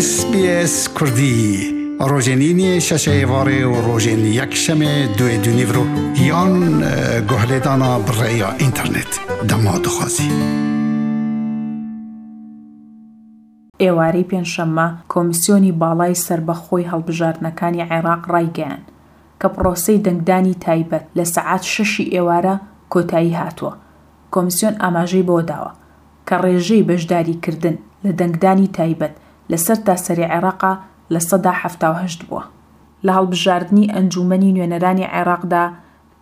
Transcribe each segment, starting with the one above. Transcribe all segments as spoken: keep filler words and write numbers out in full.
S B S Kurdî rojên îniyê şeş êvarê û rojên yekşemê duê du nîvro yan guhlêdana bi rêya înternet dema dixwazî. ئێوارەی پێنجشەممە کۆمیسیۆنی باڵای سەربەخۆی هەڵبژاردنەکانی عێراق ڕایگەیاند کە پرۆسەی دەنگدانی تایبەت لە سەعات شەشی ئێوارە کۆتایی هاتووە. کۆمیسیۆن ئاماژەی بەوە داوە کە ڕێژەی بەشداریکردن لە دەنگدانی تایبەت لە سەرتاسەری عێراقا لە سەدا حەفتا و هەشت بووە. لە هەڵبژاردنی ئەنجومەنی نوێنەرانی عێراقدا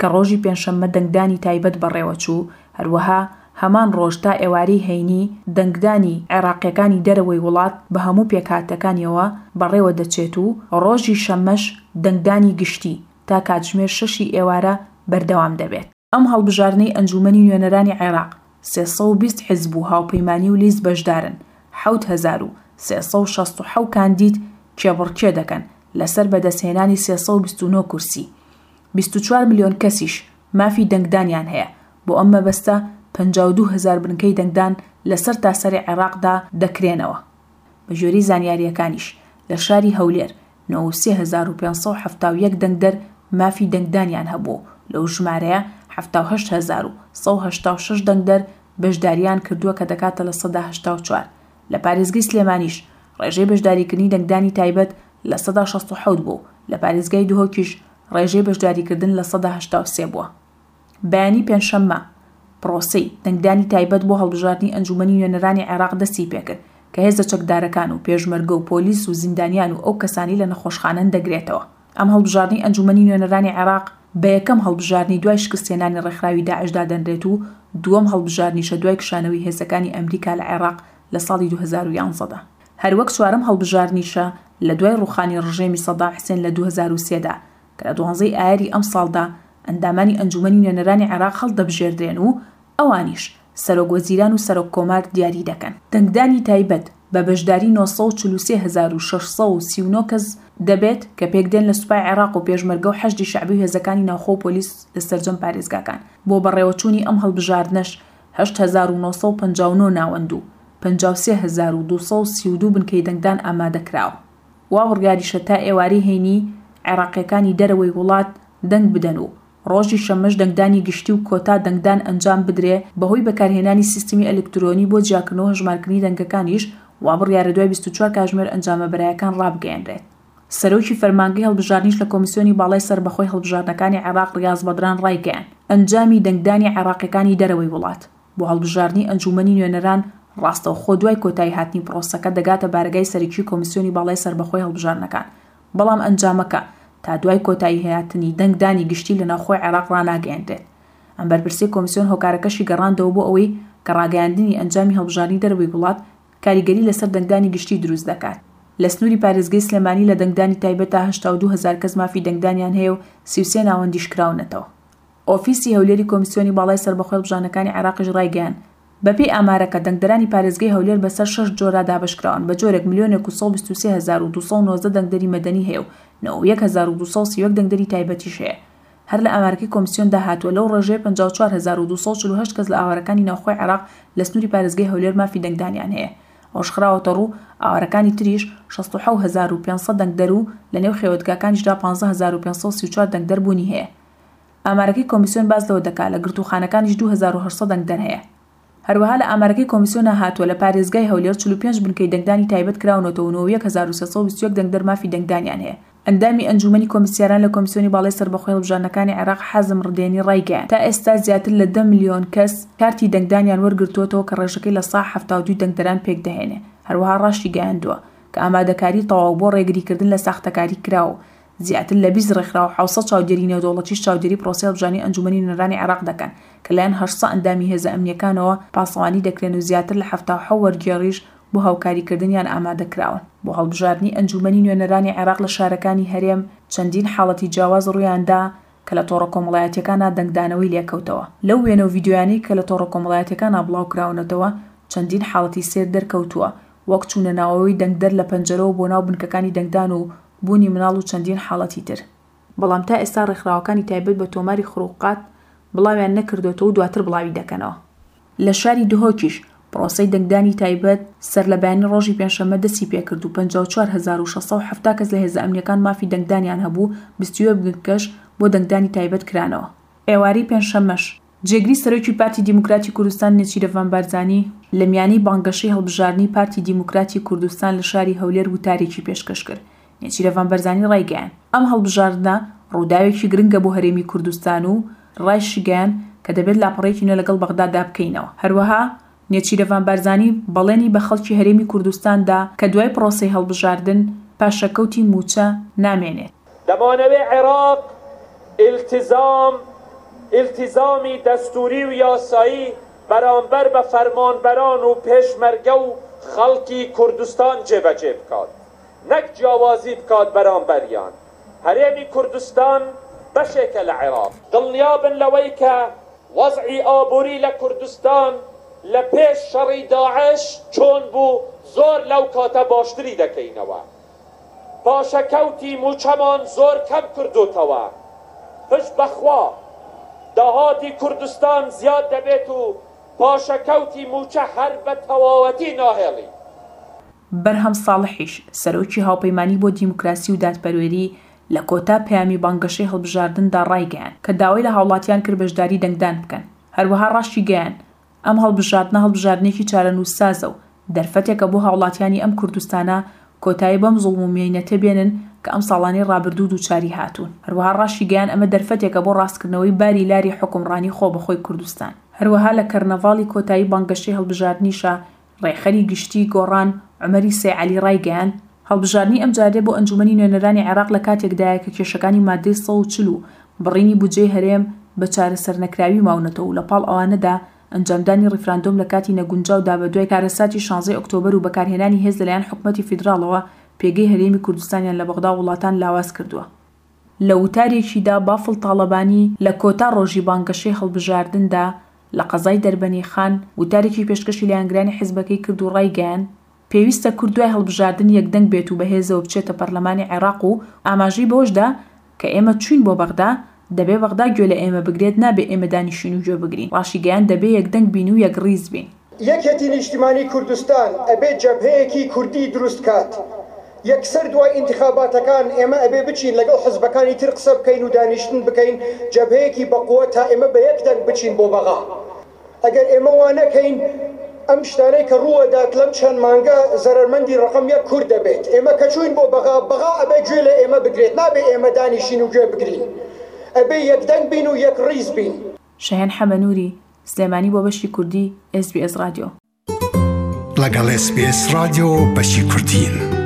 کە ڕۆژی پێنجشەممە دەنگدانی تایبەت بەڕێوەچوو، هەروەها هەمان ڕۆژ تا ئێوارەی هەینی دەنگدانی عێراقیەکانی دەرەوەی وڵات بە هەموو پێکهاتەکانیەوە بەڕێوە دەچێت و ڕۆژی شەممەش دەنگدانی گشتی تا کاتژمێر شەشی ئێوارە بەردەوام دەبێت. ئەم هەڵبژاردنەی ئەنجومەنی نوێنەرانی عێراق سێ سەد و بیست حیزب و هاوپەیمانی و لیست بەشدارن، حەوت هەزار و سێ سەد و شەست و حەوت کاندید کێبڕکێ دەکەن لەسەر بەدەستهێنانی سێ سەد و بیست و نۆ کورسی. بیست و چوار ملیۆن کەسیش مافی دەنگدانیان هەیە. بۆ ئەم مەبەستە پەنجا و دوو هەزار بنکەی دەنگدان لەسەر تاسەری عێراقدا دەکرێنەوە. بە گوێرەی زانیاریەکانیش لە شاری هەولێر نۆ و سێ هەزار و پێنج سەد و حەفتا و یەک دەنگدەر مافی دەنگدانیان هەبوو. لەو ژمارەیە حەفتا و هەشت هەزار و سەد و هەشتا و شەش دەنگدەر بەشداریان کردووە کە دەکاتە لە سەدا هەشتا و چوار. لە پارێزگای سلێمانیش ڕێژەی بەشداریکردنی دەنگدانی تایبەت لە سەدا شەست و حەوت بوو. لە پارێزگای دهۆکیش ڕێژەی بەشداریکردن لە سەدا هەشتا و سێ بووە. بەیانی پێنجشەممە پرۆسەی دەنگدانی تایبەت بۆ هەڵبژاردنی ئەنجومەنی نوێنەرانی عێراق دەستی پێکرد کە هێزە چەکدارەکان و پێشمەرگە و پۆلیس و زیندانیان و ئەو کەسانی لە نەخۆشخانەن دەگرێتەوە. ئەم هەڵبژاردنی ئەنجومەنی نوێنەرانی عێراق بە یەکەم هەڵبژاردنی دوای شکستهێنانی ڕێکخراوی داعشدا دەنرێت و دووەم هەڵبژاردنیشە دوای کشانەوەی هێزەکانی ئەمریکا لە عێراق لە ساڵی دوو هەزار و یانزەدا. هەروەک چوارەم هەڵبژاردنیشە لە دوای ڕوخانی ڕژێمی سەدام حسێن لە دوو هەزار و سێدا کە لە دوانزەی ئایاری ئەم ساڵدا ئەندامانی ئەنجومەنی نوێنەرانی عێراق هەڵدەبژێردرێن و ئەوانیش سەرۆک وەزیران و سەرۆک کۆمار دیاری دەکەن. دەنگدانی تایبەت بە بەشداری نۆ سەد و چل و سێ هەزار و شەش سەد و سی و نۆ کەس دەبێت کە پێکدێن لە سوپای عێراق و پێشمەرگە و حەشدی شەعبی و هێزەکانی ناوخۆ و پۆلیس لە سەرجەم پارێزگاکان. بۆ بەڕێوەچوونی ئەم هەڵبژاردنەش هەشت هەزار و نۆ سەد و پەنجا و نۆ ناوەند و پەنجا و سێ هەزار و دوو سەد و سی و دوو بنکەی دەنگدان ئامادە کراوە. وا بڕیاریشە تا ئێوارەی هەینی عێراقیەکانی دەرەوەی وڵات دەنگ بدەن و ڕۆژی شەممەش دەنگدانی گشتی و کۆتا دەنگدان ئەنجام بدرێ بەهۆی بەکارهێنانی سیستمی ئەلکترۆنی بۆ جیاکردنەوە هەژمارکردنی دەنگەکانیش وا بڕیارە دوای بیست و چوار کاتژمێر ئەنجامە بەرایەکان ڕابگەیەنرێت. سەرۆکی فەرمانگەی هەڵبژاردنیش لە کۆمیسیۆنی باڵای سەربەخۆی هەڵبژاردنەکانی عێراق ڕیاز بەدران ڕایگەیاند ئەنجامی دەنگدانی عێراقیەکانی دەرەوەی وڵات بۆ هەڵبژاردنی ئەنجومەنی نوێنەران ڕاستەوخۆ دوای کۆتایی هاتنی پرۆسەکە دەگاتە بارەگای سەرەکی کۆمیسیۆنی باڵای سەربەخۆی هەڵبژاردنەکان، بەڵام ئەنجامەکە تا دوای کۆتایی هاتنی دەنگدانی گشتی لە ناوخۆی عێراق ڕاناگەیەنرێت. ئەم بەرپرسی کۆمیسیۆن هۆکارەکەشی گەڕاندەوە بۆ ئەوەی کە ڕاگەیاندنی ئەنجامی هەڵبژاردنی دەرەوەی وڵات کاریگەری لەسەر دەنگدانی گشتی دروست دەکات. لە سنووری پارێزگای سلێمانی لە دەنگدانی تایبەت تا هەشتا و دوو هەزار کەس مافی دەنگدانیان هەیە و سی و سێ ناوەندیش کراونەتەوە. ئۆفیسی هەولێری کۆمیسیۆنی باڵای سەربەخۆی هەڵبژاردنەکانی عێراقیش ڕایگەیاند بەپێی ئامارەکە دەنگدەرانی پارێزگای هەولێر بەسەر شەش جۆرا دابەشکراون بە جۆرێک ملیۆنێک و سەد و بیست و سێ هەزار و دوو سەد و نۆزدە دەنگدەری مەدەنی هەیە و نۆ و یەک هەزار و دوو سەد و سی و یەک دەنگدەری تایبەتیش هەیە. هەر لە ئامارەکەی کۆمیسیۆندا هاتووە لەو ڕێژەیە پەنجا و چوار هەزار و دوو سەد و چل و هەشت کەس لە ئاوارەکانی ناوخۆی عێراق لە سنووری پارێزگای هەولێر مافی دەنگدانیان هەیە. ئەوەش خراوەتە ڕوو ئاوارەکانی تریش شەست و حەوت هەزار و پێنج سەد دەنگدەر و لەنێو خێوەتگاکانیشدا پانزە هەزار و پێنج سەد و سی و چوار دەنگدەر بوونی هەیە. ئامارەکەی کۆمیسیۆن باس لەوە دەکات لە گرتووخانەکانیش دوو هەزار و هەشت سەد دەنگدەر هەیە. هەروەها لە ئامارەکەی کۆمیسیۆنە هاتووە لە پارێزگای هەولێر چل و پێنج بنکەی دەنگدانی تایبەت کراونەتەوە و یەک هەزار و سێ سەد و بیست و یەک دەنگدەر مافی دەنگدانیان هەیە. ئەندامی ئەنجومەنی کۆمیسیاران لە کۆمیسیۆنی باڵای سەربەخۆی هەڵبژاردنەکانی عێراق حازم ڕدێنی ڕایگەیاند تا ئێستا زیاتر لە دە ملیۆن کەس کارتی دەنگدانیان وەرگرتووەتەوە کە ڕێژەکەی لە سا حەفتا و دوو دەنگدەران پێکدەهێنێ. هەروەها ڕاشی گەیاندووە کە ئامادەکاری تەواو بۆ ڕێگریکردن لە ساختەکاری کراوە زیاتر لە بیست ڕێکخراو و حەوت سەد چاودێری نێودەوڵەتیش چاودێری پرۆسەی هەڵبژاردنی ئەنجومەنی نوێنەرانی عێراق دەکەن کە لایەن هەشت سەد ئەندامی هێزە ئەمنیەکانەوە پاسەوانی دەکرێن و زیاتر لە حەفتا و حەوت وەرگێڕیش بۆ هاوکاریکردنیان ئامادە کراون. بۆ هەڵبژاردنی ئەنجومەنی نوێنەرانی عێراق لە شارەکانی هەرێم چەندین حاڵەتی جیاواز ڕوویاندا کە لە تۆڕە کۆمەڵایەتیەکانە دەنگدانەوەی لێکەوتەوە. لەو وێنە و ڤیدیۆیانەی کە لە تۆڕە کۆمەڵایەتیەکانە بڵاو کراونەتەوە چەندین حاڵەتی سێر دەرکەوتووە، وەک چوونە ناوەوەی دەنگدەر لە پەنجەرەوە بۆ ناو بنکەکانی دەنگدان و بوونی مناڵ و چەندین حاڵەتی تر. بەڵام تا ئێستا ڕێکخراوەکانی تایبەت بە تۆماری خروقات بڵاویان نەکردوێتەوە و دواتر بڵاوی دەکەنەوە. لە شاری دهۆکیش پرۆسەی دەنگدانی تایبەت سەرلەبەیانی ڕۆژی پێنجشەممە دەستی پێکرد و پەنجا و چوار هەزار و شەش سەد و حەفتا کەس لە هێزە ئەمنیەکان مافی دەنگدانیان هەبوو، بیست و یەک بنکەش بۆ دەنگدانی تایبەت کرانەوە. ئێوارەی پێنجشەممەش جێگری سەرۆکی پارتی دیموکراتی کوردستان نێچیرڤان بارزانی لە میانەی بانگەشەی هەڵبژاردنی پارتی دیموکراتی کوردستان لە شاری هەولێر وتارێکی پێشکەش کرد. نێچیرڤان بارزانی ڕایگەیاند ئەم هەڵبژاردنە ڕووداوێکی گرنگە بۆ هەرێمی کوردستان و ڕایشیگەیاند کە دەبێت لاپەڕەیەکی نوێ لەگەڵ بەغدادا بکەینەوە. هەروەها نێچیرڤان بارزانی بەڵێنی بە خەڵکی هەرێمی کوردستاندا کە دوای پرۆسەی هەڵبژاردن پاشەکەوتی موچە نامێنێت. دەمانەوێ عێراق ئیلتیزام ئیلتیزامی دەستوری و یاسایی بەرامبەر بە فەرمانبەران و پێشمەرگە و خەڵکی کوردستان جێبەجێ بکات، نەک جیاوازی بکات بەرامبەریان. هەرێمی کوردستان بەشێکە لە عێراق. دڵنیابن لەوەی کە وەزعی ئابووری لە کوردستان لە پێش شەڕی داعش چۆن بوو زۆر لەو کاتە باشتری دەکەینەوە. پاشەکەوتی موچەمان زۆر کەم کردوتەوە. پشت بەخوا داهاتی کوردستان زیاد دەبێت و پاشەکەوتی موچە هەر بە تەواوەتی ناهێڵی. بەرهەم ساڵحیش سەرۆکی هاوپەیمانی بۆ دیموکراسی و دادپەروەری لە کۆتا پەیامی بانگەشەی هەڵبژاردندا ڕایگەیاند کە داوای لە هاوڵاتیان کرد بەشداری دەنگدان بکەن. هەروەها ڕاشیگەیاند ئەم هەڵبژاردنە هەڵبژاردنێکی چارەنووسسازە و دەرفەتێکە بۆ هاوڵاتیانی ئەم کوردستانە کۆتایی بەم زوڵم و مێینەتە بێنن کە ئەم ساڵانەی ڕابردوو دووچاری هاتوون. هەروەها ڕاشیگەیاند ئەمە دەرفەتێکە بۆ ڕاستکردنەوەی باری لاری حوکمڕانی خۆ بەخۆی کوردستان. هەروەها لە کەرنەڤاڵی کۆتایی بانگەشەی هەڵبژاردنیشە ڕێکخەری گشتی گۆڕان عومەری سەیعەلی ڕایگەیاند هەڵبژاردنی ئەمجارێ بۆ ئەنجومەنی نوێنەرانی عێراق لە کاتێکدایە کە کێشەکانی مادەی سەد و چل و بڕینی بودجەی هەرێم بە چارەسەرنەکراوی ماونەتەوە و لە پاڵ ئەوانەدا ئەنجامدانی ڕیفراندۆم لە کاتی نەگونجاودا بە دوای کارەساتی شانزەی ئۆکتۆبەر و بەکارهێنانی هێز لەلایەن حکومەتی فیدراڵەوە پێگەی هەرێمی کوردستانیان لە بەغدا وڵاتان لاواز کردووە. لە وتارێکیدا بافڵ تاڵەبانی لە کۆتا ڕۆژی بانگەشەی هەڵبژاردندا لە قەزای دەربەنی خان وتارێکی پێشکەشی لایەنگرانی حیزبەکەی کرد و ڕایگەیاند پێویستە کورد دوای هەڵبژاردن یەکدەنگ بێت و بەهێزەوە بچێتە پەرلەمانی عێراق و ئاماژەی بەوەشدا کە ئێمە چوین بۆ بەغدا دەبێ بەغدا گوێ لە ئێمە بگرێت، نابێ ئێمە دانیشین و گوێ بگرین. ڕاشیگەیاند دەبێ یەکدەنگ بین و یەکڕیز بین. یەکێتی نیشتیمانی کوردستان ئەبێ جەبهەیەکی کوردی دروست کات. یەکسەر دوای ئینتخاباتەکان ئێمە ئەبێ بچین لەگەڵ حزبەکانی تر قسە بکەین و دانیشتن بکەین، جەبهەیەکی بەقوە تا ئێمە بە یەک دەنگ بچین بۆ بەغا. ئەگەر ئێمە وا نەکەین ئەم شتانەی کە ڕووەدات لەم چەند مانگە زەرەرمەندی ڕقم یەک کورد دەبێت. ئێمە کە چوین بۆ بەغا، بەغا ئەبێ گوێ لە ئێمە بگرێت، نابێ ئێمە دانیشین و گوێ بگرین. ئەبێ یەکدەنگ بین و یەک ڕیز بین. شەهێن حەمەنووری، سلێمانی بۆ بەشی کوردی ئێس بی ئێس ڕادیۆ. لەگەڵ ئێس بی ئێس ڕادیۆ بەشی کوردین.